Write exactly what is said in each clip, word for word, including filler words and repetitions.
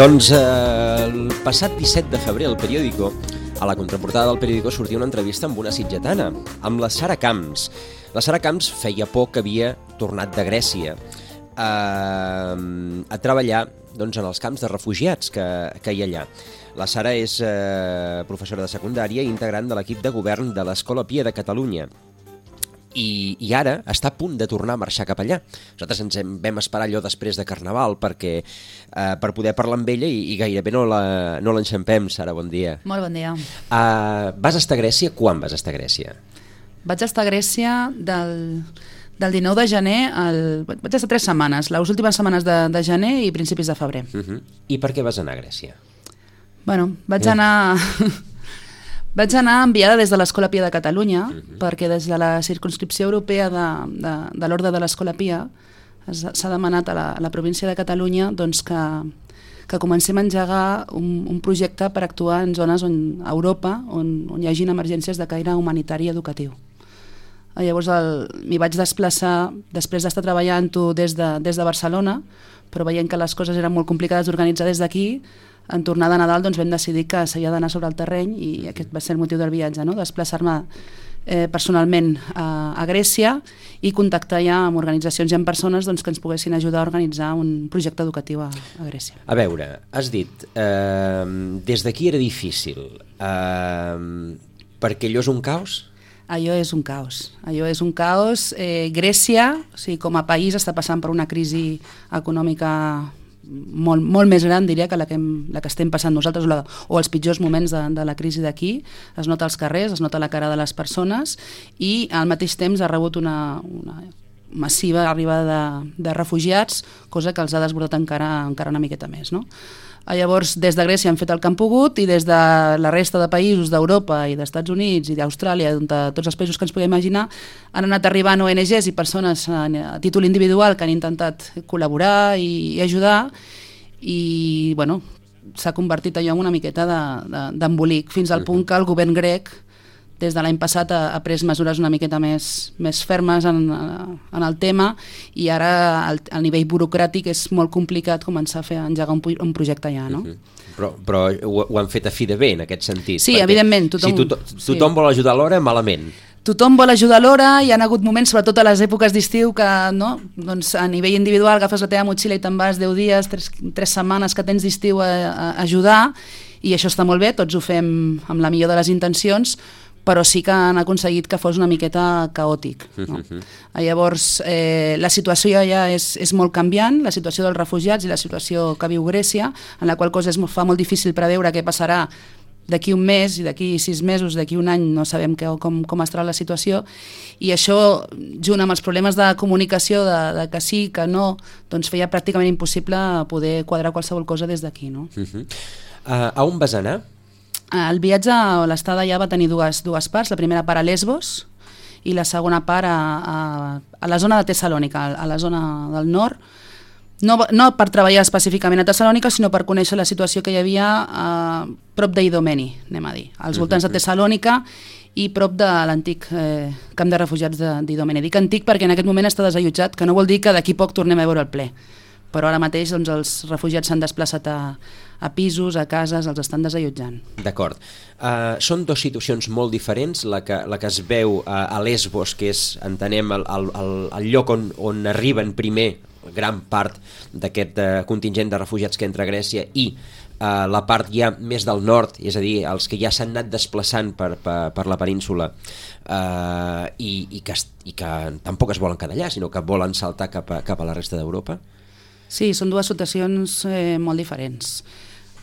Doncs eh, el passat disset de febrer al periòdico, a la contraportada del periòdico sortia una entrevista amb una sitgetana, amb la Sara Camps. La Sara Camps feia poc que havia tornat de Grècia eh, a treballar doncs, en els camps de refugiats que, que hi ha allà. La Sara és eh, professora de secundària i integrant de l'equip de govern de l'Escola Pia de Catalunya. I, i ara està a punt de tornar a marxar cap allà. Nosaltres ens hem, vam esperar allò després de Carnaval perquè, eh, per poder parlar amb ella i, i gairebé no la, no l'enxampem. Sara, bon dia. Molt bon dia. Uh, vas estar a Grècia? Quan vas estar a Grècia? Vaig estar a Grècia del, del dinou de gener al... Vaig estar tres setmanes, les últimes setmanes de, de gener i principis de febrer. Uh -huh. I per què vas anar a Grècia? Bueno, vaig eh. anar... Vaig anar enviada des de l'Escola Pia de Catalunya, uh-huh. perquè des de la circumscripció europea de, de, de l'Orde de l'Escola Pia s'ha demanat a la, a la província de Catalunya doncs, que, que comencem a engegar un, un projecte per actuar en zones on, a Europa on, on hi hagin emergències de caire humanitari i educatiu. Llavors m'hi vaig desplaçar després d'estar treballant-ho des de, des de Barcelona, però veient que les coses eren molt complicades d'organitzar des d'aquí, en tornada a Nadal doncs, vam decidir que s'havia d'anar sobre el terreny i aquest va ser el motiu del viatge, no? Desplaçar-me eh, personalment a, a Grècia i contactar ja amb organitzacions i amb persones doncs, que ens poguessin ajudar a organitzar un projecte educatiu a, a Grècia. A veure, has dit, eh, des d'aquí era difícil, eh, perquè allò és un caos? Allò és un caos. Allò és un caos. Eh, Grècia, o sigui, com a país, està passant per una crisi econòmica molt, molt més gran, diria, que la que, hem, la que estem passant nosaltres, o, la, o els pitjors moments de, de la crisi d'aquí. Es nota als carrers, es nota la cara de les persones i al mateix temps ha rebut una, una massiva arribada de, de refugiats, cosa que els ha desbordat encara, encara una miqueta més, no? Llavors, des de Grècia han fet el que han pogut i des de la resta de països d'Europa i d'Estats Units i d'Austràlia, de tots els països que ens podem imaginar, han anat arribant O N Ges i persones a, a títol individual que han intentat col·laborar i, i ajudar i, bueno, s'ha convertit allò en una miqueta d'embolic, de, fins al punt que el govern grec des de l'any passat ha, ha pres mesures una miqueta més, més fermes en, en el tema i ara el, el nivell burocràtic és molt complicat començar a fer engegar un, un projecte ja, no? Uh-huh. Però, però ho, ho han fet a fi de bé en aquest sentit. Sí, evidentment. Tothom, si tothom, tothom sí. vol ajudar alhora, malament. Tothom vol ajudar alhora, hi ha hagut moments, sobretot a les èpoques d'estiu, que no? Doncs a nivell individual agafes la teva motxilla i te'n vas deu dies, tres, tres setmanes que tens d'estiu a, a ajudar i això està molt bé, tots ho fem amb la millor de les intencions, però sí que han aconseguit que fos una miqueta caòtic. No? Uh-huh. Llavors, eh, la situació ja és, és molt canviant, la situació dels refugiats i la situació que viu Grècia, en la qual cosa es fa molt difícil preveure què passarà d'aquí un mes i d'aquí sis mesos, d'aquí un any, no sabem que, com, com estarà la situació, i això, junt amb els problemes de comunicació, de, de que sí, que no, doncs feia pràcticament impossible poder quadrar qualsevol cosa des d'aquí. No? Uh-huh. uh, a on vas anar? El viatge o l'estada ja va tenir dues, dues parts, la primera part a Lesbos i la segona part a, a, a la zona de Tessalònica, a la zona del nord, no, no per treballar específicament a Tessalònica, sinó per conèixer la situació que hi havia a prop d'Idomeni, anem a dir, als voltants de Tessalònica i prop de l'antic eh, camp de refugiats d'Idomeni. Dic antic perquè en aquest moment està desallotjat, que no vol dir que d'aquí poc tornem a veure el ple. Però ara mateix doncs, els refugiats s'han desplaçat a, a pisos, a cases, els estan desallotjant. D'acord. Uh, són dues situacions molt diferents, la que, la que es veu a, a Lesbos, que és, entenem, el, el, el lloc on, on arriben primer gran part d'aquest uh, contingent de refugiats que entra a Grècia i uh, la part ja més del nord, és a dir, els que ja s'han anat desplaçant per, per, per la península uh, i, i, que, i que tampoc es volen quedar allà, sinó que volen saltar cap a, cap a la resta d'Europa. Sí, són dues situacions eh, molt diferents.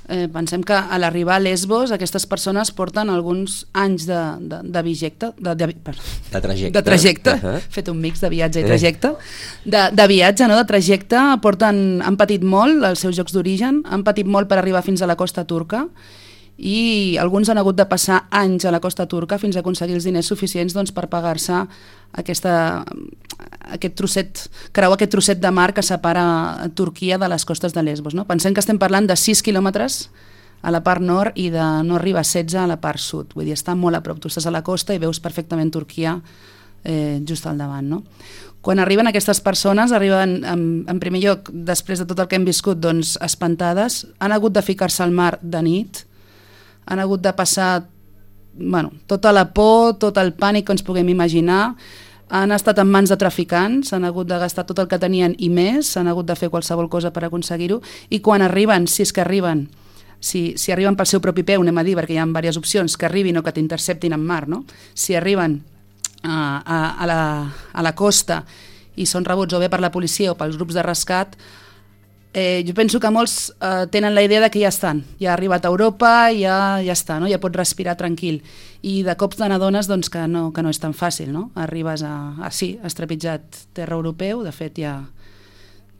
Eh, pensem que a l'arribar a Lesbos aquestes persones porten alguns anys de, de, de, vigecte, de, de, de trajecte, de trajecte. Uh-huh. Fet un mix de viatge i trajecte, de, de viatge, no? De trajecte, porten, han patit molt els seus llocs d'origen, han patit molt per arribar fins a la costa turca i alguns han hagut de passar anys a la costa turca fins a aconseguir els diners suficients doncs, per pagar-se aquesta, aquest trosset, creuar aquest trosset de mar que separa Turquia de les costes de Lesbos. No? Pensem que estem parlant de sis quilòmetres a la part nord i de no arriba a setze a la part sud. Vull dir, està molt a prop. Tu estàs a la costa i veus perfectament Turquia eh, just al davant. No? Quan arriben aquestes persones, arriben en, en primer lloc, després de tot el que hem viscut, doncs, espantades, han hagut de ficar-se al mar de nit, han hagut de passar bueno, tota la por, tot el pànic que ens puguem imaginar, han estat en mans de traficants, han hagut de gastar tot el que tenien i més, han hagut de fer qualsevol cosa per aconseguir-ho, i quan arriben, si és que arriben, si, si arriben pel seu propi peu, anem a dir, perquè hi ha diverses opcions, que arribin o que t'interceptin en mar, no? Si arriben A, a, a, la, a la costa i són rebuts o bé per la policia o pels grups de rescat, eh, jo penso que molts eh, tenen la idea de que ja estan, ja ha arribat a Europa, ja, ja està, no? Ja pot respirar tranquil, i de cops te n'adones doncs, que, no, que no és tan fàcil, no? Arribes a, a sí, has trepitjat terra europeu, de fet ja,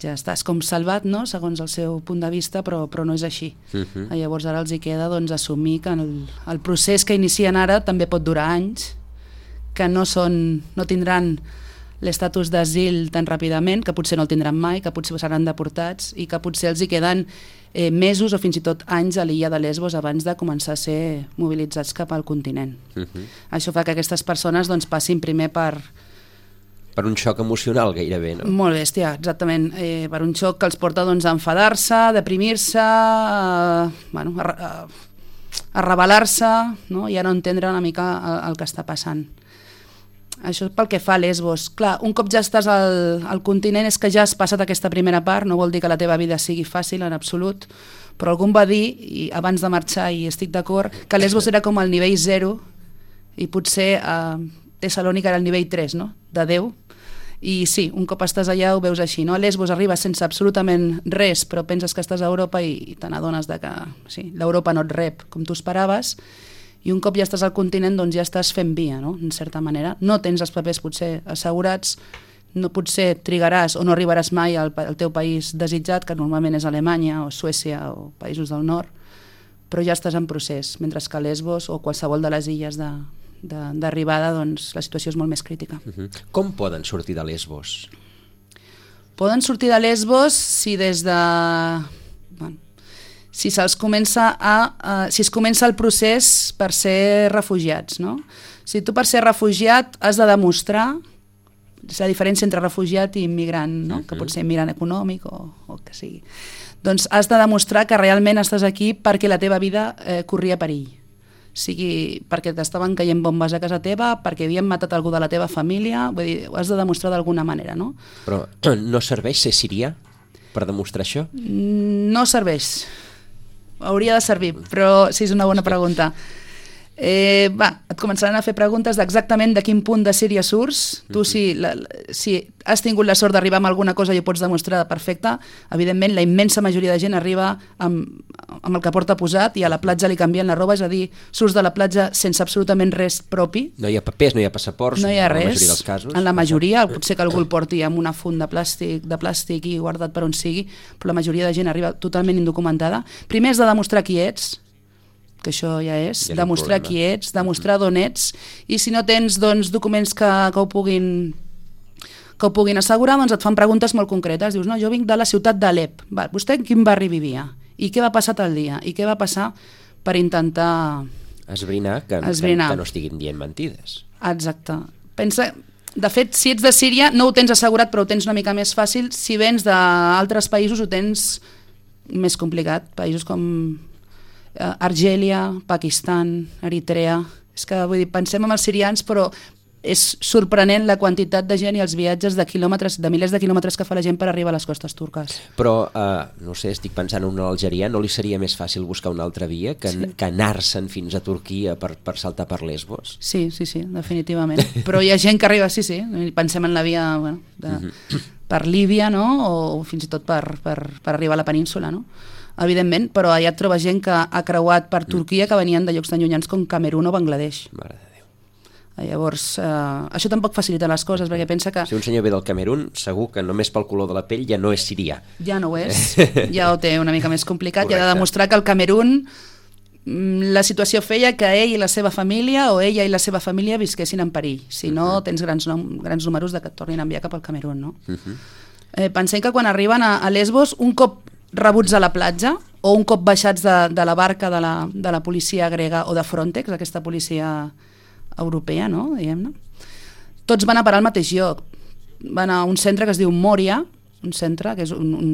ja estàs com salvat, no? Segons el seu punt de vista, però, però no és així. Uh-huh. Llavors ara els hi queda doncs, assumir que el, el procés que inicien ara també pot durar anys, que no, són, no tindran l'estatus d'asil tan ràpidament, que potser no el tindran mai, que potser seran deportats i que potser els hi queden eh, mesos o fins i tot anys a l'illa de Lesbos abans de començar a ser mobilitzats cap al continent. Uh-huh. Això fa que aquestes persones doncs, passin primer per... Per un xoc emocional gairebé, no? Molt bèstia, exactament. Eh, per un xoc que els porta doncs, a enfadar-se, a deprimir-se, a, bueno, a, a, a rebel·lar-se, no? I a no entendre una mica el, el que està passant. Això pel que fa a Lesbos. Clar, un cop ja estàs al, al continent és que ja has passat aquesta primera part, no vol dir que la teva vida sigui fàcil en absolut, però algú em va dir, i abans de marxar, i estic d'acord, que Lesbos era com el nivell zero i potser eh, Tessalònica era el nivell tres, no? De Déu. I sí, un cop estàs allà ho veus així, no? A Lesbos arribes sense absolutament res, però penses que estàs a Europa i, i te n'adones de que sí, l'Europa no et rep com tu esperaves, i un cop ja estàs al continent doncs ja estàs fent via, no? En certa manera. No tens els papers potser assegurats, no potser trigaràs o no arribaràs mai al, al teu país desitjat, que normalment és Alemanya o Suècia o països del nord, però ja estàs en procés, mentre que a Lesbos o qualsevol de les illes de, de, d'arribada doncs la situació és molt més crítica. Uh-huh. Com poden sortir de Lesbos? Poden sortir de Lesbos si des de... Bueno, si se'ls comença a, uh, si es comença el procés per ser refugiats, no? Si tu per ser refugiat has de demostrar la diferència entre refugiat i immigrant, no? Uh-huh. Que pot ser immigrant econòmic o, o que sigui. Doncs has de demostrar que realment estàs aquí perquè la teva vida eh, corria perill. Sigui perquè t'estaven caient bombes a casa teva, perquè havien matat algú de la teva família, vull dir, ho has de demostrar d'alguna manera, no? Però no serveix ser sirià per demostrar això? No serveix. Hauria de servir, però sí, és una bona pregunta. Eh, va, et començaran a fer preguntes d'exactament de quin punt de Síria surts. Tu, si, la, si has tingut la sort d'arribar amb alguna cosa i ho pots demostrar perfecte, evidentment la immensa majoria de gent arriba amb, amb el que porta posat i a la platja li canvien la roba, és a dir, surts de la platja sense absolutament res propi. No hi ha papers, no hi ha passaports, no hi ha res. En la majoria dels casos. En la majoria, potser que algú el porti amb una funda de plàstic, de plàstic i guardat per on sigui, però la majoria de gent arriba totalment indocumentada. Primer has de demostrar qui ets, que això ja és, ja demostrar qui ets, demostrar d'on ets, i si no tens doncs, documents que, que, ho puguin, que ho puguin assegurar, doncs et fan preguntes molt concretes. Dius, no, jo vinc de la ciutat d'Alep. Va, vostè en quin barri vivia? I què va passar tal dia? I què va passar per intentar... Esbrinar que, Esbrinar. que, que no estiguin dient mentides. Exacte. Pensa... De fet, si ets de Síria no ho tens assegurat, però ho tens una mica més fàcil. Si vens d'altres països ho tens més complicat. Països com... Argèlia, Pakistan, Eritrea. És que vull dir, pensem en els sirians, però és sorprenent la quantitat de gent i els viatges de quilòmetres, de milers de quilòmetres que fa la gent per arribar a les costes turques. Però, eh, no sé, estic pensant en un algerià, no li seria més fàcil buscar una altra via que, sí. que anar-se'n fins a Turquia per, per saltar per Lesbos? Sí, sí, sí, definitivament. Però hi ha gent que arriba, sí, sí, pensem en la via bueno, de, uh-huh. per Líbia, no? O fins i tot per, per, per arribar a la península, no? Evidentment, però allà et trobes gent que ha creuat per Turquia que venien de llocs tan llunyans com Camerún o Bangladesh. Mare de Déu. Llavors, eh, això tampoc facilita les coses, perquè pensa que... Si un senyor ve del Camerún, segur que només pel color de la pell ja no és sirià. Ja no ho és, ja ho té una mica més complicat. Correcte. I ha de demostrar que el Camerún la situació feia que ell i la seva família o ella i la seva família visquessin en perill. Si no, uh-huh. tens grans, nom, grans números de que et tornin a enviar cap al Camerún, no? Uh-huh. eh, pensem que quan arriben a, a Lesbos, un cop rebuts a la platja o un cop baixats de, de la barca de la, de la policia grega o de Frontex, aquesta policia europea, no? Diguem-ne, tots van a parar al mateix lloc. van a un centre que es diu Moria, un centre que és un, un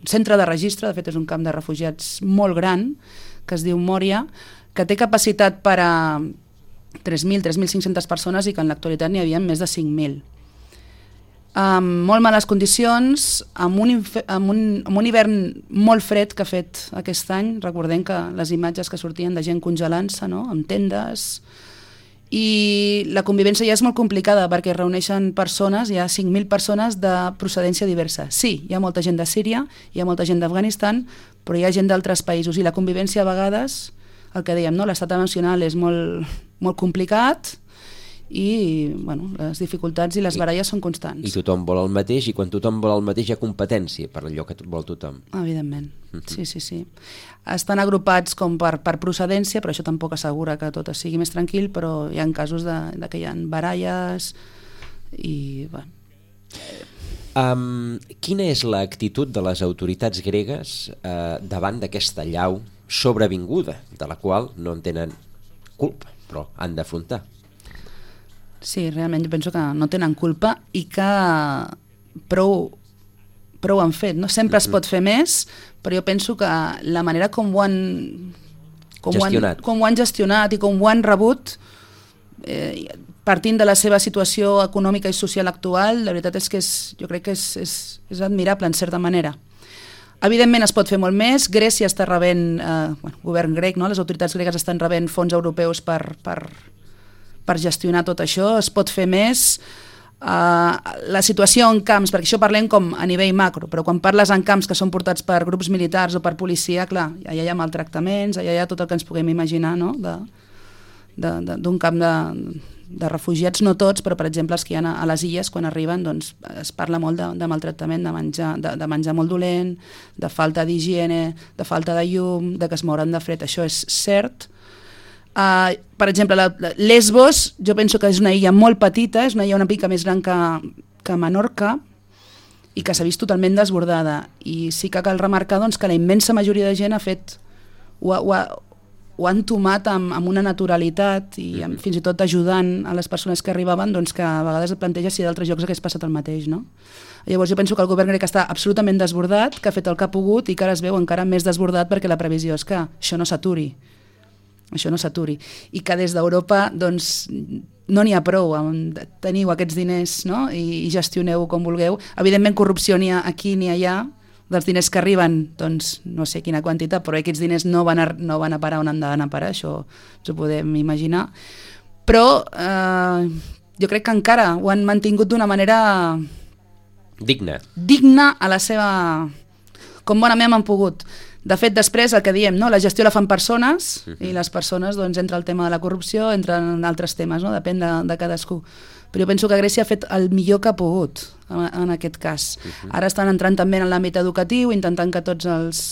centre de registre, de fet és un camp de refugiats molt gran, que es diu Moria, que té capacitat per a tres mil, tres mil cinc-centes persones i que en l'actualitat n'hi havia més de cinc mil. Amb molt males condicions, amb un, amb, un, amb un hivern molt fred que ha fet aquest any. Recordem que les imatges que sortien de gent congelant-se, no?, amb tendes, i la convivència ja és molt complicada perquè es reuneixen persones, hi ha cinc mil persones de procedència diversa. Sí, hi ha molta gent de Síria, hi ha molta gent d'Afganistan, però hi ha gent d'altres països i la convivència a vegades, el que dèiem, no?, l'estat emocional és molt, molt complicat, i bueno, les dificultats i les baralles són constants. I tothom vol el mateix, i quan tothom vol el mateix hi ha competència per allò que vol tothom. Evidentment, uh-huh. sí, sí, sí. Estan agrupats com per, per procedència, però això tampoc assegura que tot sigui més tranquil, però hi ha casos de, de que hi ha baralles i... Bueno. Um, quina és l'actitud de les autoritats gregues eh, davant d'aquesta llau sobrevinguda, de la qual no en tenen culpa, però han d'afrontar? Sí, realment jo penso que no tenen culpa i que prou, prou han fet. No? Sempre es pot fer més, però jo penso que la manera com ho han, com gestionat. Ho han, com ho han gestionat i com ho han rebut, eh, partint de la seva situació econòmica i social actual, la veritat és que és, jo crec que és, és, és admirable en certa manera. Evidentment es pot fer molt més. Grècia està rebent, eh, bueno, govern grec, no? Les autoritats gregues estan rebent fons europeus per... per per gestionar tot això, es pot fer més. Uh, la situació en camps, perquè això parlem com a nivell macro, però quan parles en camps que són portats per grups militars o per policia, clar, allà hi ha maltractaments, allà hi ha tot el que ens puguem imaginar, no?, d'un camp de, de refugiats, no tots, però per exemple els que hi ha a les illes, quan arriben, doncs es parla molt de, de maltractament, de menjar, de, de menjar molt dolent, de falta d'higiene, de falta de llum, de que es mouren de fred, això és cert. Uh, per exemple, la, la Lesbos, jo penso que és una illa molt petita, és una illa una mica més gran que, que Menorca i que s'ha vist totalment desbordada. I sí que cal remarcar doncs, que la immensa majoria de gent ha fet, ho, ho, ho han tomat amb, amb una naturalitat i amb, fins i tot ajudant a les persones que arribaven, doncs, que a vegades et planteja si d'altres llocs hagués passat el mateix. No? Llavors jo penso que el govern grec està absolutament desbordat, que ha fet el que ha pogut i que ara es veu encara més desbordat perquè la previsió és que això no s'aturi. això no s'aturi, i que des d'Europa doncs, no n'hi ha prou, teniu aquests diners, no? I, i gestioneu com vulgueu. Evidentment corrupció n'hi ha aquí ni allà, dels diners que arriben, doncs no sé quina quantitat, però aquests diners no van a, no van a parar on han d'anar a parar, això ens ho podem imaginar, però eh, jo crec que encara ho han mantingut d'una manera digna digna a la seva, com bonament han pogut. De fet, després, el que diem, no? La gestió la fan persones, uh-huh. i les persones, doncs, entra el tema de la corrupció, entren altres temes, no? Depèn de, de cadascú. Però jo penso que Grècia ha fet el millor que ha pogut, en, en aquest cas. Uh-huh. Ara estan entrant també en l'àmbit educatiu, intentant que tots els,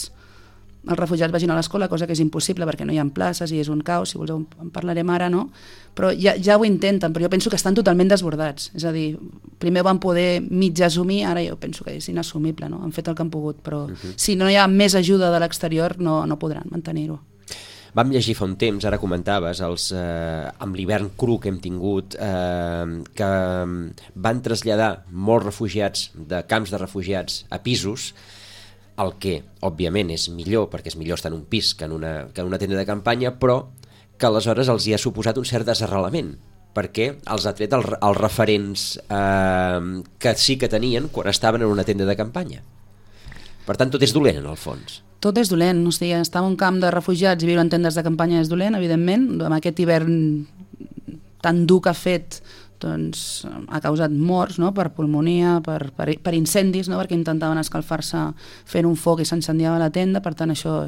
els refugiats vagin a l'escola, cosa que és impossible perquè no hi ha places i és un caos, si voleu en parlarem ara, no? Però ja, ja ho intenten, però jo penso que estan totalment desbordats. És a dir, primer van poder mig assumir, ara jo penso que és inassumible, no? Han fet el que han pogut, però uh-huh. si no hi ha més ajuda de l'exterior no, no podran mantenir-ho. Vam llegir fa un temps, ara comentaves, els, eh, amb l'hivern cru que hem tingut, eh, que van traslladar molts refugiats de camps de refugiats a pisos, el que, òbviament, és millor, perquè és millor estar en un pis que en una, que en una tenda de campanya, però que aleshores els hi ha suposat un cert desarrelament, perquè els ha tret els, els referents eh, que sí que tenien quan estaven en una tenda de campanya. Per tant, tot és dolent, en el fons. Tot és dolent, o sigui, estar en un camp de refugiats i viure en tendes de campanya és dolent, evidentment, amb aquest hivern tan dur que ha fet, doncs ha causat morts, no? Per pulmonia, per, per, per incendis, no? Perquè intentaven escalfar-se fent un foc i s'incendiava la tenda, per tant això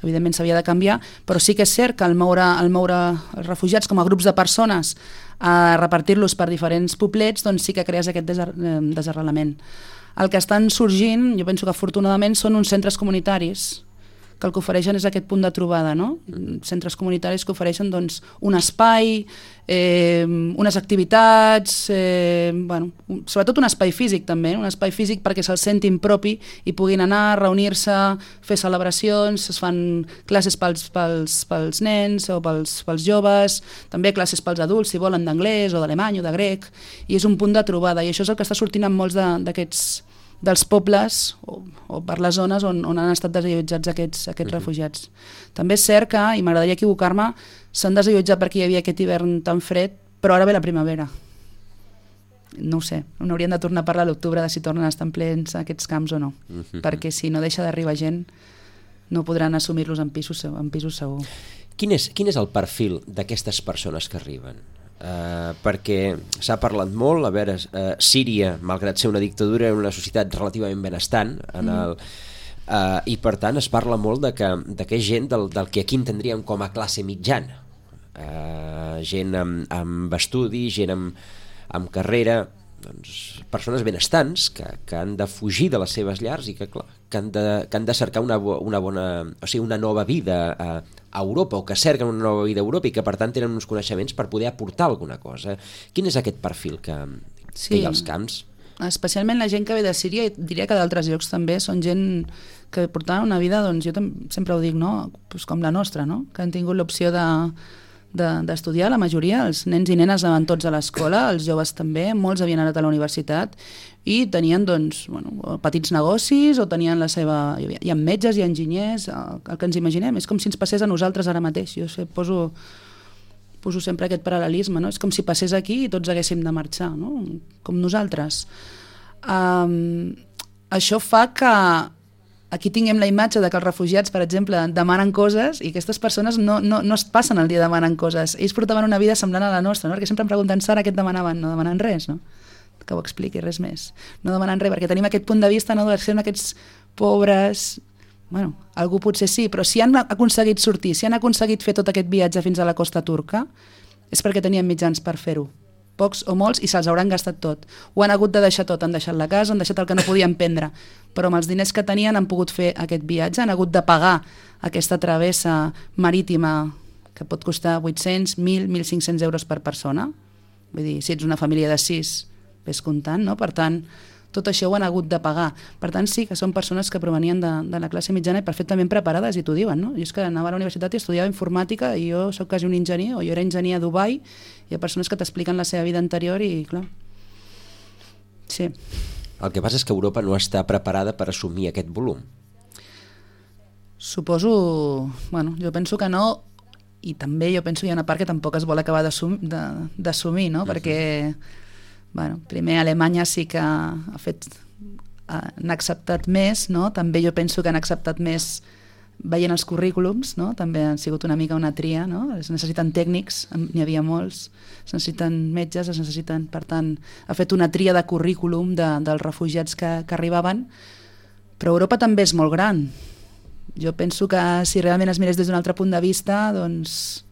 evidentment s'havia de canviar, però sí que és cert que al moure, al moure els refugiats com a grups de persones a repartir-los per diferents poblets, doncs sí que crees aquest desar, desarrelament. El que estan sorgint, jo penso que afortunadament, són uns centres comunitaris que el que ofereixen és aquest punt de trobada, no? Centres comunitaris que ofereixen doncs, un espai, eh, unes activitats, eh, bueno, sobretot un espai físic també, un espai físic perquè se'l sentin propi i puguin anar, reunir-se, fer celebracions, es fan classes pels, pels, pels nens o pels, pels joves, també classes pels adults si volen d'anglès o d'alemany o de grec, i és un punt de trobada, i això és el que està sortint en molts d'aquests dels pobles o, o per les zones on, on han estat desallotjats aquests, aquests uh-huh. refugiats. També és cert que, i m'agradaria equivocar-me, s'han desallotjat perquè hi havia aquest hivern tan fred, però ara ve la primavera. No ho sé, no hauríem de tornar a parlar a l'octubre de si tornen a estar plens aquests camps o no, uh-huh. perquè si no deixa d'arribar gent no podran assumir-los en pisos, en pisos segur. Quin és, quin és el perfil d'aquestes persones que arriben? Uh, perquè s'ha parlat molt, a veure, uh, Síria, malgrat ser una dictadura, era una societat relativament benestant, en el, uh, i per tant es parla molt de que, de que és gent del, del que aquí entendríem com a classe mitjana, uh, gent amb, amb estudi, gent amb, amb carrera, doncs, persones benestants que, que han de fugir de les seves llars i que, clar, que, han, de, que han de cercar una, una bona, o sigui, una nova vida a, a Europa, o que cerquen una nova vida a Europa i que per tant tenen uns coneixements per poder aportar alguna cosa. Quin és aquest perfil que, sí, que hi ha als camps? Especialment la gent que ve de Síria, i diria que d'altres llocs també, són gent que portaven una vida, doncs jo sempre ho dic, no? Pues com la nostra, no? Que han tingut l'opció de d'estudiar, la majoria, els nens i nenes anaven tots a l'escola, els joves també, molts havien anat a la universitat i tenien doncs, bueno, petits negocis o tenien la seva... Hi havia, hi ha metges, hi ha enginyers, el, el que ens imaginem, és com si ens passés a nosaltres ara mateix. Jo sé, poso, poso sempre aquest paral·lelisme, no? És com si passés aquí i tots haguéssim de marxar, no? Com nosaltres. Um, això fa que aquí tinguem la imatge de que els refugiats, per exemple, demanen coses i aquestes persones no, no, no es passen el dia demanant coses. Ells portaven una vida semblant a la nostra, no? Perquè sempre em pregunten, Sara, què et demanaven? No demanen res, no? Que ho expliqui, res més. No demanen res, perquè tenim aquest punt de vista, no, de ser aquests pobres... Bueno, algú potser sí, però si han aconseguit sortir, si han aconseguit fer tot aquest viatge fins a la costa turca, és perquè tenien mitjans per fer-ho. Pocs o molts, i se'ls hauran gastat tot. Ho han hagut de deixar tot, han deixat la casa, han deixat el que no podien prendre, però amb els diners que tenien han pogut fer aquest viatge, han hagut de pagar aquesta travessa marítima que pot costar vuit-cents, mil, mil cinc-cents euros per persona. Vull dir, si ets una família de sis, ves comptant, no? Per tant, tot això ho han hagut de pagar. Per tant, sí que són persones que provenien de, de la classe mitjana i perfectament preparades, i t'ho diuen, no? Jo és que anava a la universitat i estudiava informàtica i jo sóc quasi un enginyer, o jo era enginyer a Dubai, hi ha persones que t'expliquen la seva vida anterior i, clar, sí. El que passa és que Europa no està preparada per assumir aquest volum. Suposo... Bueno, jo penso que no, i també jo penso que hi ha una part que tampoc es vol acabar d'assumir, no? Uh-huh. Perquè... Bueno, primer Alemanya sí que ha fet, han acceptat més, no? També jo penso que han acceptat més veient els currículums, no? També han sigut una mica una tria, no? Es necessiten tècnics, n'hi havia molts, es necessiten metges, es necessiten, per tant, ha fet una tria de currículum de, dels refugiats que, que arribaven, però Europa també és molt gran. Jo penso que si realment es mirés des d'un altre punt de vista, doncs...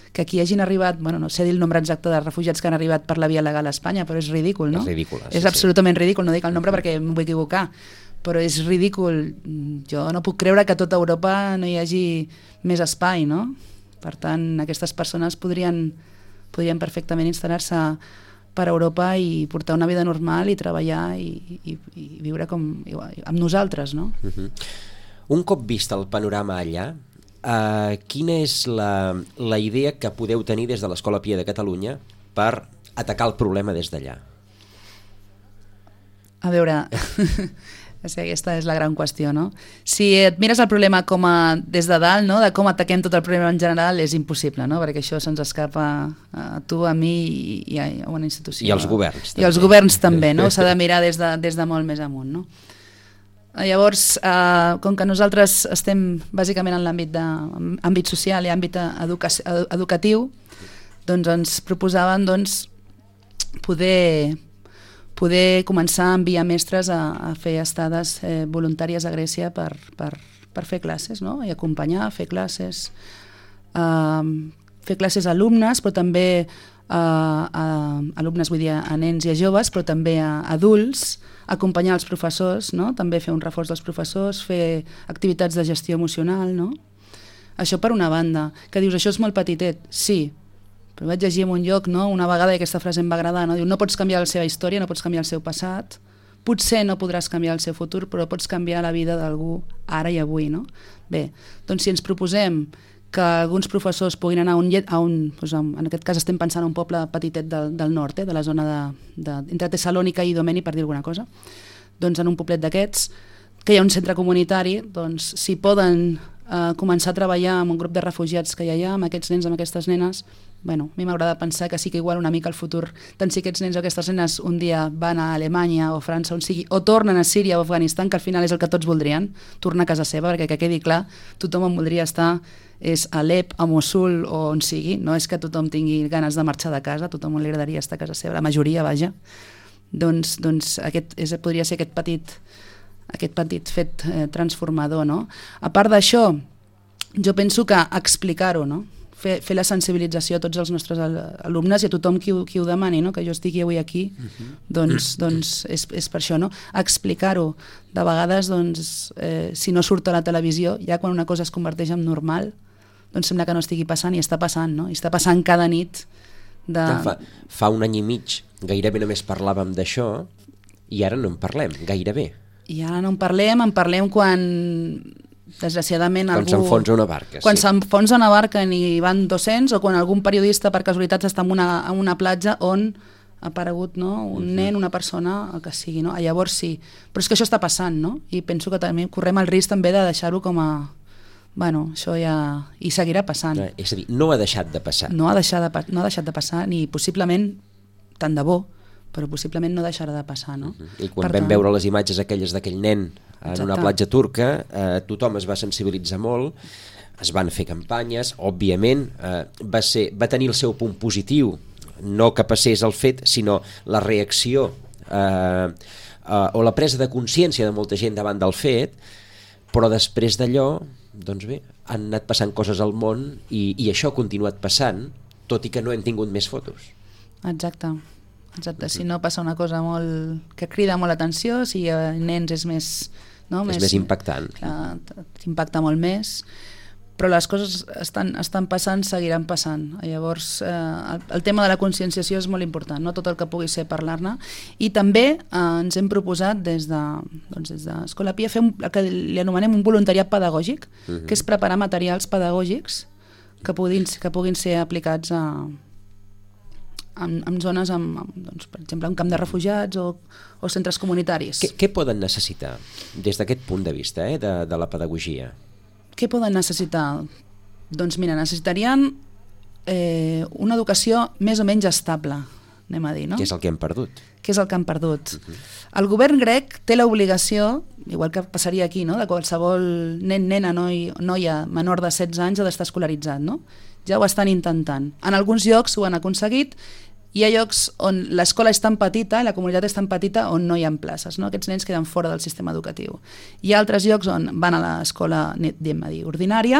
que aquí hagin arribat, bueno, no sé dir el nombre exacte de refugiats que han arribat per la via legal a Espanya, però és ridícul, no? És ridícul, sí, és absolutament sí. ridícul, no dic el nombre perquè em vull equivocar, però és ridícul. Jo no puc creure que a tota Europa no hi hagi més espai, no? Per tant, aquestes persones podrien, podrien perfectament instal·lar-se per Europa i portar una vida normal i treballar i, i, i viure com amb nosaltres, no? Uh-huh. Un cop vist el panorama allà, Uh, quina és la, la idea que podeu tenir des de l'Escola Pia de Catalunya per atacar el problema des d'allà? A veure, aquesta és la gran qüestió, no? Si et mires el problema com a, des de dalt, no? De com ataquem tot el problema en general, és impossible, no? Perquè això se'ns escapa a tu, a mi i, i a una institució. I als governs. I als governs també, no? S'ha de mirar des de, des de molt més amunt, no? Llavors, eh, com que nosaltres estem bàsicament en l'àmbit de, àmbit social i àmbit educa educatiu, doncs ens proposaven doncs, poder, poder començar a enviar mestres a, a fer estades eh, voluntàries a Grècia per, per, per fer classes, no? I acompanyar, fer classes, eh, fer classes a alumnes, però també a, a alumnes, vull dir, a nens i a joves, però també a adults, acompanyar els professors, no? També fer un reforç dels professors, fer activitats de gestió emocional, no? Això per una banda. Que dius, això és molt petitet? Sí, però vaig llegir en un lloc, no? Una vegada, i aquesta frase em va agradar, no? Diu, no pots canviar la seva història, no pots canviar el seu passat, potser no podràs canviar el seu futur, però pots canviar la vida d'algú ara i avui, no? Bé, doncs si ens proposem que alguns professors puguin anar a un, a un doncs en aquest cas estem pensant en un poble petitet del, del nord, eh, de la zona de, de, entre Tessalònica i Domeni, per dir alguna cosa, doncs en un poblet d'aquests, que hi ha un centre comunitari, doncs si poden eh, començar a treballar amb un grup de refugiats que hi ha, amb aquests nens, amb aquestes nenes, bueno, a mi m'agrada pensar que sí que igual una mica al futur, tant si aquests nens o aquestes nenes un dia van a Alemanya o França, on sigui, o tornen a Síria o Afganistan, que al final és el que tots voldrien, tornar a casa seva, perquè que quedi clar, tothom en voldria estar, és a Alep, a Mossul o on sigui, no és que tothom tingui ganes de marxar de casa, tothom li agradaria estar a casa seva, la majoria, vaja. Doncs, doncs aquest és, podria ser aquest petit, aquest petit fet eh, transformador, no? A part d'això, jo penso que explicar-ho, no? Fer, fer la sensibilització a tots els nostres alumnes i a tothom qui, qui ho demani, no? Que jo estigui avui aquí, uh-huh. doncs, doncs és, és per això, no? Explicar-ho. De vegades, doncs, eh, si no surt a la televisió, ja quan una cosa es converteix en normal, doncs sembla que no estigui passant i està passant, no? I està passant cada nit. De... Fa, fa un any i mig gairebé només parlàvem d'això i ara no en parlem, gairebé. I ara no en parlem, en parlem quan... desgraciadament quan algú... s'enfonsa una barca, quan sí. s'enfonsa una barca i van dos-cents, o quan algun periodista per casualitat està en una, en una platja on ha aparegut, no? Un uh-huh. nen, una persona, el que sigui, no? Llavors sí, però és que això està passant, no? I penso que també correm el risc també de deixar-ho com a... Bueno, això ja... i seguirà passant. Eh, és a dir, no ha deixat de passar. No ha deixat de, no ha deixat de passar, ni possiblement, tant de bo, però possiblement no deixarà de passar, no? Uh-huh. I quan per vam tant... veure les imatges aquelles d'aquell nen en Exacte. Una platja turca, eh, tothom es va sensibilitzar molt, es van fer campanyes, òbviament eh, va, ser, va tenir el seu punt positiu, no que passés el fet, sinó la reacció eh, eh, o la presa de consciència de molta gent davant del fet, però després d'allò, doncs bé, han anat passant coses al món i, i això ha continuat passant, tot i que no hem tingut més fotos. Exacte. Exacte, si no passa una cosa molt que crida molt l'atenció, si hi ha nens és més... No? És més, més impactant. Clar, impacta molt més, però les coses estan, estan passant, seguiran passant. Llavors, eh, el, el tema de la conscienciació és molt important, no tot el que pugui ser parlar-ne. I també eh, ens hem proposat des de, doncs des d'Escola Pia fer un, el que li anomenem un voluntariat pedagògic, uh-huh. que és preparar materials pedagògics que puguin, que puguin ser aplicats a... En, en zones, amb, amb, doncs, per exemple, un camp de refugiats o, o centres comunitaris. Què, què poden necessitar des d'aquest punt de vista, eh, de, de la pedagogia? Què poden necessitar? Doncs mira, necessitarien eh, una educació més o menys estable, anem a dir, no? Què és el que hem perdut? Què és el que han perdut? Uh-huh. El govern grec té l'obligació, igual que passaria aquí, no? De qualsevol nen, nena, noi, noia menor de setze anys ha d'estar escolaritzat, no? Ja ho estan intentant. En alguns llocs ho han aconseguit. Hi ha llocs on l'escola és tan petita, la comunitat és tan petita, on no hi ha places, no? Aquests nens queden fora del sistema educatiu. Hi ha altres llocs on van a l'escola, diguem a dir, ordinària,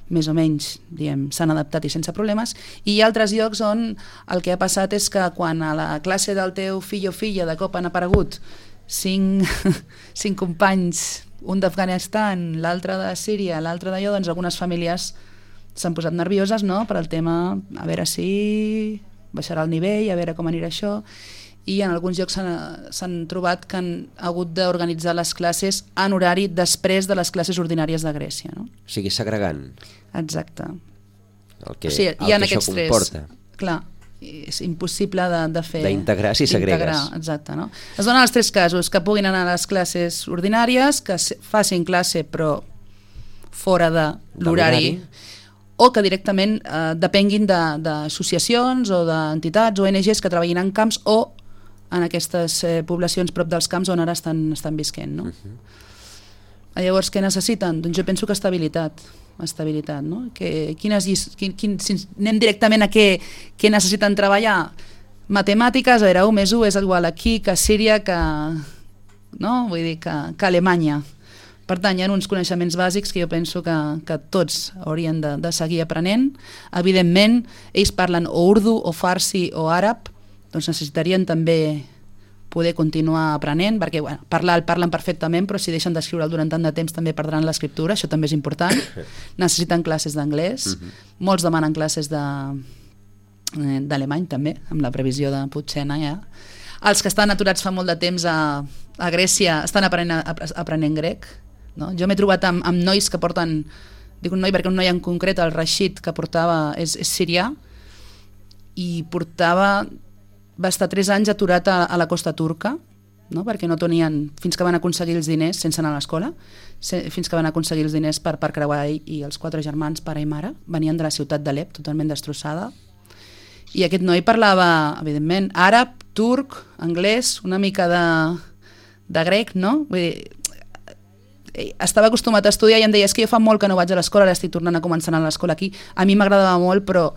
més o menys, diguem, s'han adaptat i sense problemes, i hi ha altres llocs on el que ha passat és que quan a la classe del teu fill o filla de cop han aparegut cinc, cinc companys, un d'Afganistan, l'altre de Síria, l'altre d'allò, doncs algunes famílies s'han posat nervioses, no?, per al tema, a veure si baixarà el nivell, a veure com anirà això, i en alguns llocs s'han trobat que han hagut d'organitzar les classes en horari després de les classes ordinàries de Grècia, no? O sigui, segregant. Exacte. El que, o sigui, el que això comporta. Tres, clar, és impossible de, de fer... D'integrar si segregues. Exacte, no? Es donen els tres casos, que puguin anar a les classes ordinàries, que facin classe però fora de l'horari, o que directament eh, depenguin d'associacions o d'entitats o O N Ges que treballin en camps o en aquestes eh, poblacions prop dels camps on ara estan, estan visquent, no? Uh-huh. Llavors, què necessiten? Doncs jo penso que estabilitat, estabilitat, no? Que, quines, quin, quin, si anem directament a què, què necessiten treballar? Matemàtiques, a veure, u més u és igual aquí que a Síria, que, no? Vull dir que, que a Alemanya. Per tant, hi ha uns coneixements bàsics que jo penso que, que tots haurien de, de seguir aprenent. Evidentment, ells parlen o urdu, o farsi, o àrab, doncs necessitarien també poder continuar aprenent, perquè bueno, parlar el parlen perfectament, però si deixen d'escriure'l durant tant de temps també perdran l'escriptura, això també és important. Necessiten classes d'anglès, uh-huh. Molts demanen classes de, eh, d'alemany també, amb la previsió de potser anar ja. Els que estan aturats fa molt de temps a, a Grècia estan aprenent, aprenent grec. No? Jo m'he trobat amb, amb nois que porten, dic un noi perquè un noi en concret, el Rashid, que portava, és, és sirià, i portava... va estar tres anys aturat a, a la costa turca, no? Perquè no tenien, fins que van aconseguir els diners, sense anar a l'escola, se, fins que van aconseguir els diners per, per creuar ell i els quatre germans, pare i mare, venien de la ciutat d'Alep, totalment destrossada, i aquest noi parlava, evidentment, àrab, turc, anglès, una mica de, de grec, no? Vull dir, estava acostumat a estudiar i em deia, és que jo fa molt que no vaig a l'escola, ara estic tornant a començar a l'escola aquí, a mi m'agradava molt, però,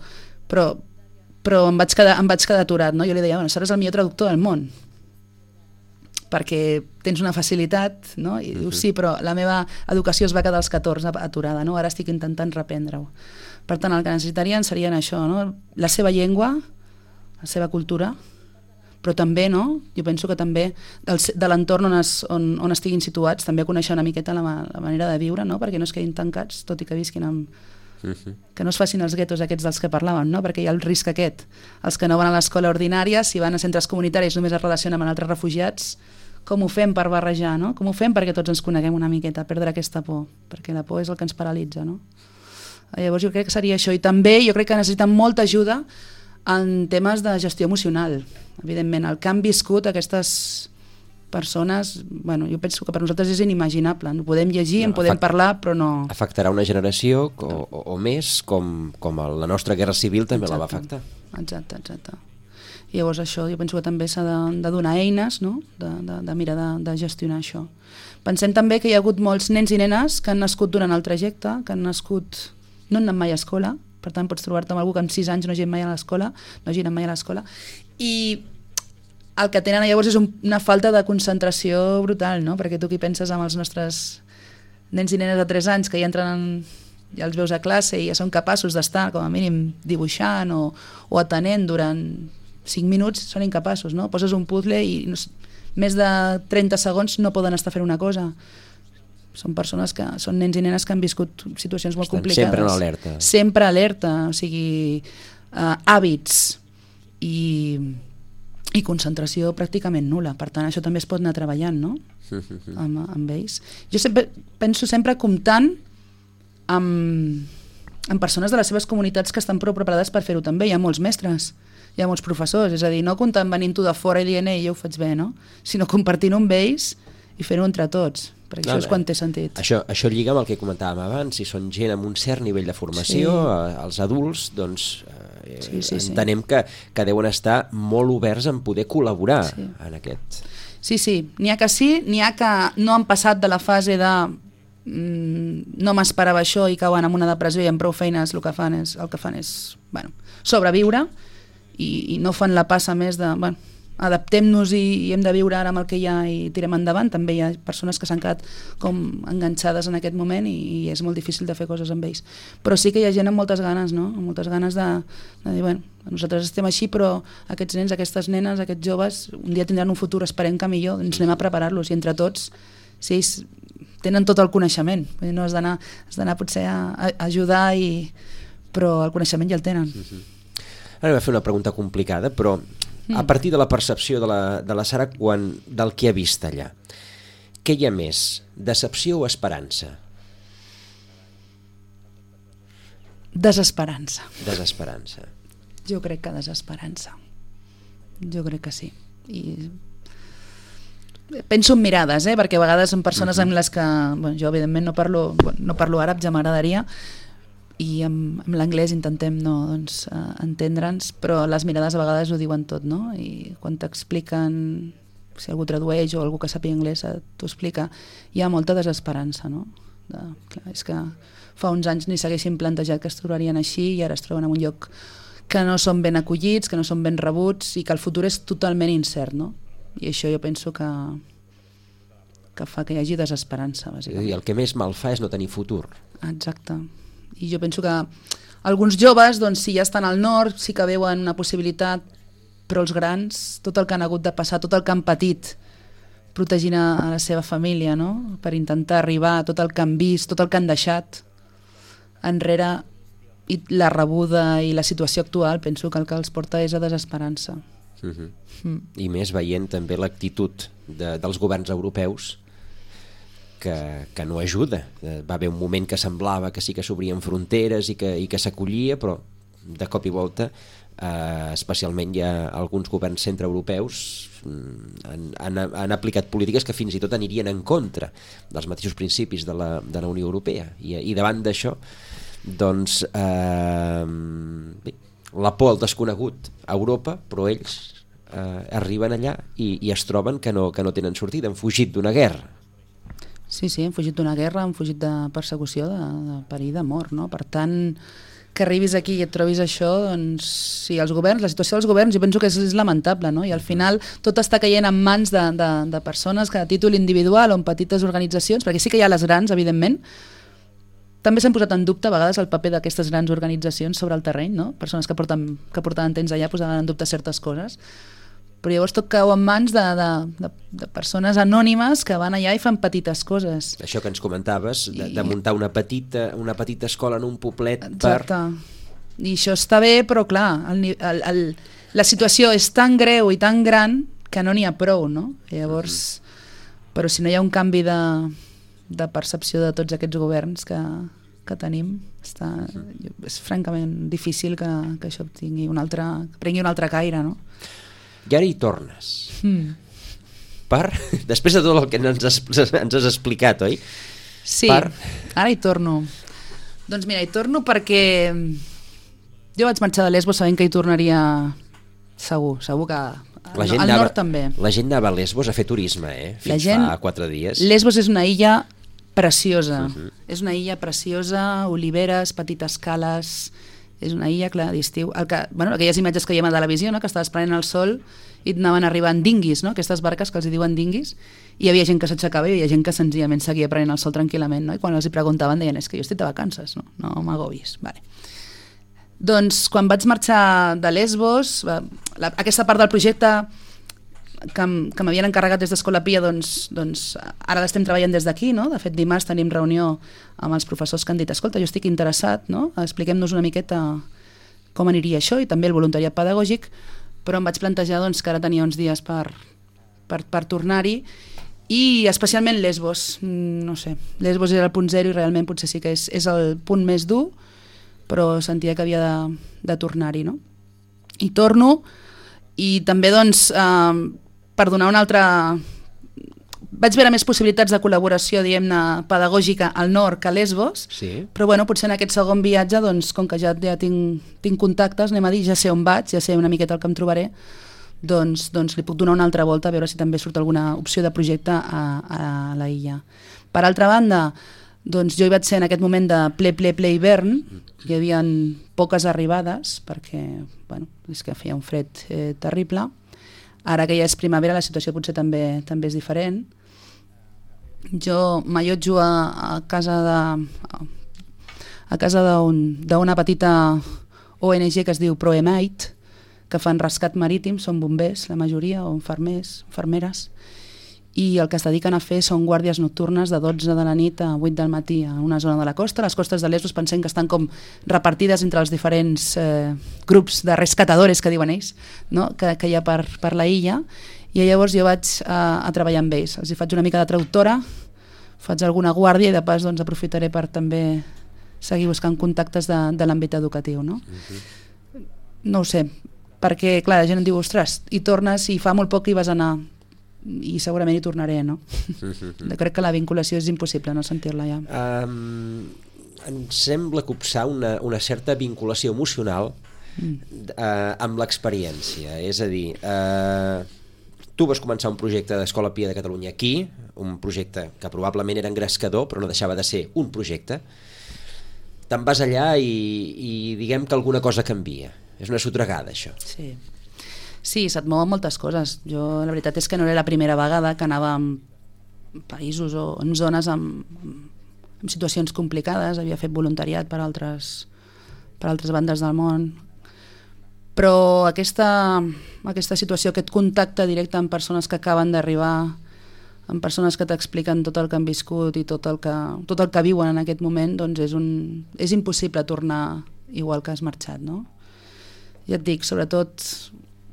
però però em vaig quedar, em vaig quedar aturat, no? Jo li deia, bueno, seràs el millor traductor del món, perquè tens una facilitat, no? I diu, sí, però la meva educació es va quedar als catorze aturada, no? Ara estic intentant reprendre-ho. Per tant, el que necessitarien serien això, no? La seva llengua, la seva cultura, però també, no? Jo penso que també del, de l'entorn on, es, on, on estiguin situats, també conèixer una miqueta la, la manera de viure, no? Perquè no es quedin tancats, tot i que visquin amb... Uh-huh. Que no es facin els guetos aquests dels que parlàvem, no? Perquè hi ha el risc aquest. Els que no van a l'escola ordinària, si van a centres comunitaris només es relacionen amb altres refugiats, com ho fem per barrejar, no? Com ho fem perquè tots ens coneguem una miqueta, perdre aquesta por, perquè la por és el que ens paralitza, no? Llavors jo crec que seria això, i també jo crec que necessiten molta ajuda en temes de gestió emocional. Evidentment, el que han viscut aquestes persones, bueno, jo penso que per nosaltres és inimaginable. No podem llegir, no, en podem parlar, però no... Afectarà una generació o, o, o més, com, com la nostra guerra civil també exacte, la va afectar. Exacte, exacte. I llavors això, jo penso que també s'ha de, de donar eines, no? de, de, de mirar de, de gestionar això. Pensem també que hi ha hagut molts nens i nenes que han nascut durant el trajecte, que han nascut... no han anat mai a escola, per tant pots trobar-te amb algú que amb sis anys no hagi anat mai a l'escola, no hagi anat mai a l'escola, i el que tenen llavors és un, una falta de concentració brutal, no? Perquè tu qui penses amb els nostres nens i nenes de tres anys que ja entren en, ja els veus a classe i ja són capaços d'estar com a mínim dibuixant o, o atenent durant cinc minuts, són incapaços, no? Poses un puzzle i no, més de trenta segons no poden estar fent una cosa. Són persones que són nens i nenes que han viscut situacions molt estan complicades. Sempre en alerta. Sempre alerta, o sigui, uh, hàbits i... i concentració pràcticament nul·la. Per tant, això també es pot anar treballant, no? amb, amb ells. Jo sempre, penso sempre comptant amb, amb persones de les seves comunitats que estan prou preparades per fer-ho també. Hi ha molts mestres, hi ha molts professors, és a dir, no comptant venint tu de fora i dient, ei, jo ho faig bé, no? Sinó compartint-ho amb ells i fer-ho entre tots, perquè no, això és quan té sentit. Això, això lliga amb el que comentàvem abans, si són gent amb un cert nivell de formació, sí. eh, els adults, doncs eh, sí, sí, entenem sí. Que, que deuen estar molt oberts en poder col·laborar sí. en aquest. Sí, sí, n'hi ha que sí, n'hi ha que no han passat de la fase de mm, no m'esperava això i cauen en una depressió i amb prou feines el que fan és, el que fan és bueno, sobreviure i, i no fan la passa més de... Bueno, adaptem-nos i, i hem de viure ara amb el que hi ha i tirem endavant. També hi ha persones que s'han quedat com enganxades en aquest moment i, i és molt difícil de fer coses amb ells. Però sí que hi ha gent amb moltes ganes, no? Amb moltes ganes de, de dir, bueno, nosaltres estem així, però aquests nens, aquestes nenes, aquests joves, un dia tindran un futur, esperem que millor, ens anem a preparar-los i entre tots, si ells tenen tot el coneixement, no has d'anar has d'anar potser a, a ajudar, i, però el coneixement ja el tenen. Uh-huh. Ara m'he fet una pregunta complicada, però a partir de la percepció de la, de la Sara quan, del que ha vist allà, què hi ha més? Decepció o esperança? Desesperança. Desesperança. Jo crec que desesperança. Jo crec que sí. I penso en mirades, eh? Perquè a vegades són persones uh-huh. amb les que... Bueno, jo evidentment no parlo, no parlo àrab, ja m'agradaria, i amb, amb l'anglès intentem no, doncs, uh, entendre'ns, però les mirades a vegades ho diuen tot, no? I quan t'expliquen, si algú tradueix o algú que sàpiga anglès t'ho explica, hi ha molta desesperança, no? De, clar, és que fa uns anys ni s'haguessin plantejat que es trobarien així i ara es troben en un lloc que no són ben acollits, que no són ben rebuts i que el futur és totalment incert, no? I això jo penso que que fa que hi hagi desesperança, bàsicament. I el que més mal fa és no tenir futur. Exacte. I jo penso que alguns joves, doncs, si ja estan al nord, sí que veuen una possibilitat, però els grans, tot el que han hagut de passar, tot el que han patit, protegint a, a la seva família, no? Per intentar arribar, tot el que han vist, tot el que han deixat enrere, i la rebuda i la situació actual, penso que el que els porta és a desesperança. Uh-huh. Mm. I més veient també l'actitud de, dels governs europeus que, que no ajuda. Va haver un moment que semblava que sí que s'obrien fronteres i que, i que s'acollia, però de cop i volta, eh, especialment hi ha alguns governs centreeuropeus han, han, han aplicat polítiques que fins i tot anirien en contra dels mateixos principis de la, de la Unió Europea, i, i davant d'això doncs eh, bé, la por al desconegut a Europa, però ells eh, arriben allà i, i es troben que no, que no tenen sortida, han fugit d'una guerra. Sí, sí, han fugit d'una guerra, han fugit de persecució, de, de perill de mort, no? Per tant, que arribis aquí i et trobis això, doncs sí, els governs, la situació dels governs jo penso que és, és lamentable, no? I al final tot està caient en mans de, de, de persones que a títol individual o en petites organitzacions, perquè sí que hi ha les grans, evidentment. També s'han posat en dubte a vegades el paper d'aquestes grans organitzacions sobre el terreny, no? Persones que, porten, que portaven temps allà posaven en dubte certes coses, però llavors tot cau en mans de, de, de, de persones anònimes que van allà i fan petites coses. Això que ens comentaves, de, de muntar una petita, una petita escola en un poblet. Exacte. Per... I això està bé, però clar, el, el, el, la situació és tan greu i tan gran que no n'hi ha prou, no? I llavors, mm. però si no hi ha un canvi de... de percepció de tots aquests governs que, que tenim, està, és francament difícil que, que això tingui un altre, que prengui un altre caire, no? I ara hi tornes. Mm. Per, després de tot el que ens has, ens has explicat, oi? Sí, per... ara hi torno. Doncs mira, hi torno perquè jo vaig marxar de Lesbos sabent que hi tornaria segur, segur que la gent al anava, nord també. La gent anava a Lesbos a fer turisme, eh? Fins gent, fa quatre dies. Lesbos és una illa preciosa. Uh-huh. És una illa preciosa, oliveres, petites cales, és una illa, clar, d'estiu. El que, bueno, aquelles imatges que hi ha a la televisió, no? Que estaves prenent el sol i anaven arribant dinguis, no? Aquestes barques que els diuen dinguis, i hi havia gent que s'aixecava i hi havia gent que senzillament seguia prenent el sol tranquil·lament, no? I quan els hi preguntaven deien, és que jo estic de vacances, no, no m'agobis. Vale. Doncs quan vaig marxar de Lesbos, la, aquesta part del projecte que, que m'havien encarregat des d'Escola Pia, doncs, doncs ara l'estem treballant des d'aquí, no? De fet, dimarts tenim reunió amb els professors que han dit, escolta, jo estic interessat, no? Expliquem-nos una miqueta com aniria això, i també el voluntariat pedagògic, però em vaig plantejar doncs, que ara tenia uns dies per, per, per tornar-hi, i especialment Lesbos, no sé, Lesbos era el punt zero i realment potser sí que és, és el punt més dur, però sentia que havia de, de tornar-hi, no? I torno, i també doncs eh, per donar una altra... Vaig veure més possibilitats de col·laboració, diguem-ne, pedagògica al nord que a Lesbos, sí. Però bueno, potser en aquest segon viatge, doncs, com que ja, ja tinc, tinc contactes, anem a dir, ja sé on vaig, ja sé una miqueta el que em trobaré, doncs, doncs li puc donar una altra volta a veure si també surt alguna opció de projecte a, a la illa. Per altra banda, doncs jo hi vaig ser en aquest moment de ple, ple, ple hivern, hi havia poques arribades, perquè, bueno, és que feia un fred eh, terrible. Ara que ja és primavera la situació potser també també és diferent. Jo m'allotjo a, a casa de a casa d'una petita O N G que es diu Proemite, que fan rescat marítim, són bombers la majoria, o infermers, infermeres, i el que es dediquen a fer són guàrdies nocturnes de dotze de la nit a vuit del matí a una zona de la costa. Les costes de Lesbos pensem que estan com repartides entre els diferents eh, grups de rescatadores que diuen ells, no? que, que hi ha per, per la illa, i llavors jo vaig a, a treballar amb ells. Els hi faig una mica de traductora, faig alguna guàrdia i de pas doncs, aprofitaré per també seguir buscant contactes de, de l'àmbit educatiu. No? Uh-huh. No ho sé, perquè clar, la gent em diu, ostres, i tornes i fa molt poc que hi vas anar, i segurament hi tornaré, no? Mm-hmm. Crec que la vinculació és impossible no sentir-la ja. Um, em sembla copsar una, una certa vinculació emocional mm. uh, amb l'experiència, és a dir, uh, tu vas començar un projecte d'Escola Pia de Catalunya aquí, un projecte que probablement era engrescador però no deixava de ser un projecte, te'n vas allà i, i diguem que alguna cosa canvia, és una sotregada això. Sí. Sí, se't mouen moltes coses. Jo la veritat és que no era la primera vegada que anava amb països o en zones amb, amb situacions complicades, havia fet voluntariat per altres, per altres bandes del món, però aquesta, aquesta situació, aquest contacte directe amb persones que acaben d'arribar, amb persones que t'expliquen tot el que han viscut i tot el que, tot el que viuen en aquest moment, doncs és, un, és impossible tornar igual que has marxat, no? Ja et dic, sobretot,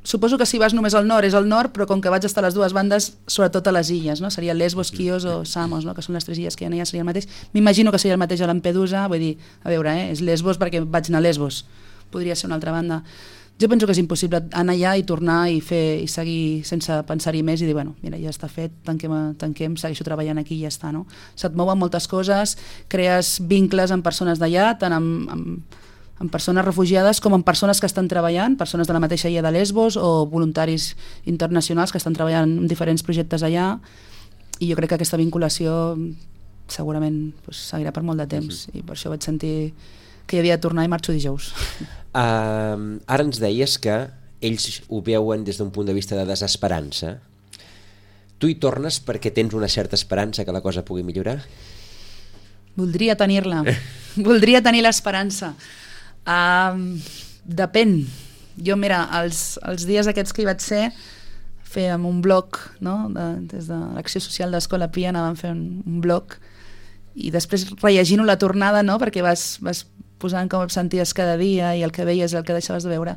suposo que si vas només al nord és al nord, però com que vaig estar a les dues bandes, sobretot a les illes, no? Seria Lesbos, Quios o Samos, no? Que són les tres illes que hi ha, seria el mateix. M'imagino que seria el mateix a Lampedusa, vull dir, a veure, eh? És Lesbos perquè vaig anar a Lesbos, podria ser una altra banda. Jo penso que és impossible anar allà i tornar i fer i seguir sense pensar-hi més i dir, bueno, mira, ja està fet, tanquem, tanquem, segueixo treballant aquí i ja està, no? Se't mouen moltes coses, crees vincles amb persones d'allà, tant amb, amb, amb persones refugiades com amb persones que estan treballant, persones de la mateixa illa de Lesbos o voluntaris internacionals que estan treballant en diferents projectes allà, i jo crec que aquesta vinculació segurament pues, seguirà per molt de temps, i per això vaig sentir que hi havia de tornar i marxo dijous. Uh, ara ens deies que ells ho veuen des d'un punt de vista de desesperança. Tu hi tornes perquè tens una certa esperança que la cosa pugui millorar? Voldria tenir-la. Voldria tenir l'esperança. Uh, depèn. Jo, mira, els, els dies aquests que hi vaig ser, fèiem un blog, no? de, des de l'Acció Social d'Escola Pia anàvem fent un, un blog, i després rellegint-ho la tornada, no? Perquè vas, vas posant com et senties cada dia i el que veies i el que deixaves de veure,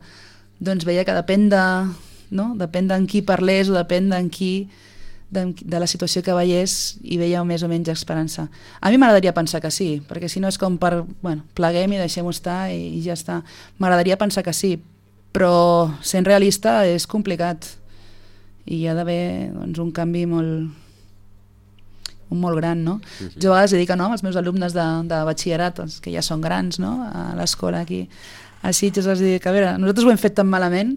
doncs veia que depèn de, no? depèn d'en qui parlés o depèn d'en qui, de, de la situació que veiés, i veia més o menys esperança. A mi m'agradaria pensar que sí, perquè si no és com per, bueno, pleguem i deixem-ho estar i, i ja està. M'agradaria pensar que sí, però sent realista és complicat i hi ha d'haver doncs, un canvi molt un molt gran, no? Uh-huh. Jo a vegades dic que no, els meus alumnes de, de batxillerat, els que ja són grans, no? A l'escola aquí a Sitges, els dic, a veure, nosaltres ho hem fet tan malament,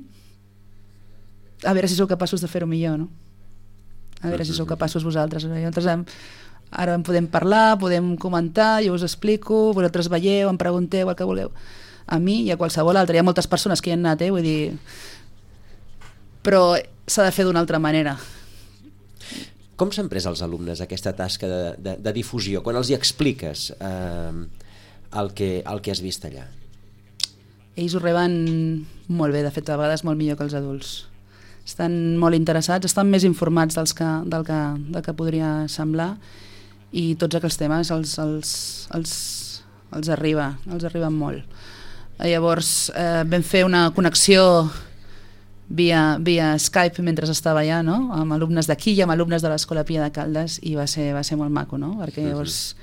a veure si sou capaços de fer-ho millor, no? A veure si sou capaços vosaltres. Nosaltres hem, ara en podem parlar, podem comentar, jo us explico, vosaltres veieu, em pregunteu el que vulgueu. A mi i a qualsevol altre, hi ha moltes persones que hi han anat, eh? Vull dir, però s'ha de fer d'una altra manera. Com s'han pres els alumnes aquesta tasca de, de, de difusió, quan els hi expliques eh, el, que, el que has vist allà? Ells ho reben molt bé, de fet, a vegades molt millor que els adults. Estan molt interessats, estan més informats dels que, del, que, del que podria semblar, i tots aquells temes els, els, els, els arriba, els arriben molt. Llavors eh, vam fer una connexió via, via Skype mentre estava allà, no? Amb alumnes d'aquí i amb alumnes de l'Escola Pia de Caldes, i va ser, va ser molt maco, no? Perquè llavors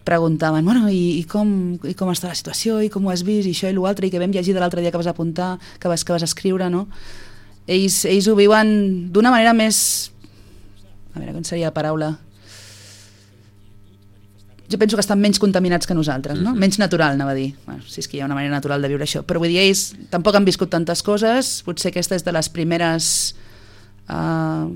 preguntaven, bueno, i, i, com, i com està la situació, i com ho has vist, i això i l'altre, i que vam llegir de l'altre dia que vas apuntar, que vas, que vas escriure, no? Ells, ells ho viuen d'una manera més... A veure, com seria la paraula? Jo penso que estan menys contaminats que nosaltres, no? Menys natural, anava a dir. Bueno, si és que hi ha una manera natural de viure això. Però vull dir, ells tampoc han viscut tantes coses, potser aquesta és de les primeres... Uh,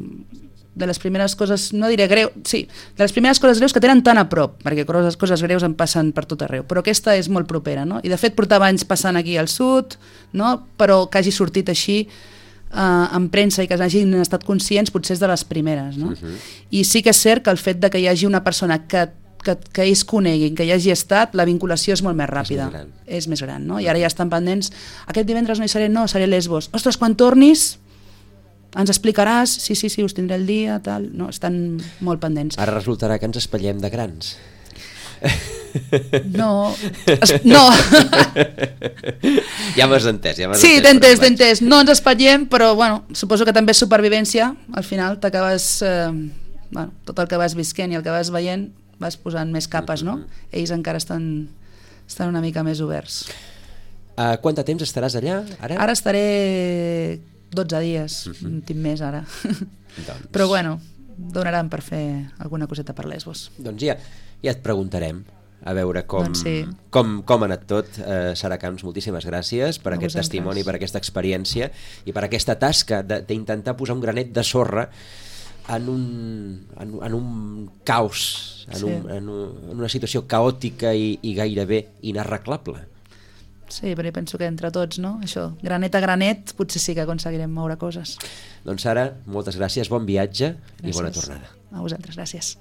de les primeres coses, no diré greu, sí, de les primeres coses greus que tenen tan a prop, perquè coses, coses greus en passen per tot arreu, però aquesta és molt propera, no? I de fet portava anys passant aquí al sud, no? Però que hagi sortit així uh, en premsa i que hagin estat conscients potser és de les primeres, no? Uh-huh. I sí que és cert que el fet de que hi hagi una persona que Que, que ells coneguin, que hi hagi estat, la vinculació és molt més ràpida. És més gran. És més gran, no? I ara ja estan pendents. Aquest divendres no hi seré, no, seré a Lesbos. Ostres, quan tornis ens explicaràs, sí, sí, sí, us tindré el dia, tal. No, estan molt pendents. Ara resultarà que ens espatllem de grans. No, es, no. Ja m'has entès, ja m'has sí, entès. Sí, t'he entès, t'he entès. No ens espatllem, però bueno, suposo que també és supervivència. Al final t'acabes... Eh, bueno, tot el que vas visquent i el que vas veient vas posant més capes, no? Ells encara estan, estan una mica més oberts. Uh, quant de temps estaràs allà, ara? Ara estaré dotze dies, uh-huh. un tip més ara. Doncs... Però bueno, donaran per fer alguna coseta per Lesbos. Doncs ja, ja et preguntarem a veure com, doncs sí. com, com ha anat tot. Uh, Sara Camps, moltíssimes gràcies per a aquest vosaltres. testimoni, per aquesta experiència i per aquesta tasca d'intentar posar un granet de sorra en un, en, en un caos, en, sí. un, en, un, en una situació caòtica i, i gairebé inarreglable. Sí, però jo penso que entre tots, no? Això, granet a granet, potser sí que aconseguirem moure coses. Doncs Sara, moltes gràcies, bon viatge Gràcies. I bona tornada. A vosaltres, gràcies.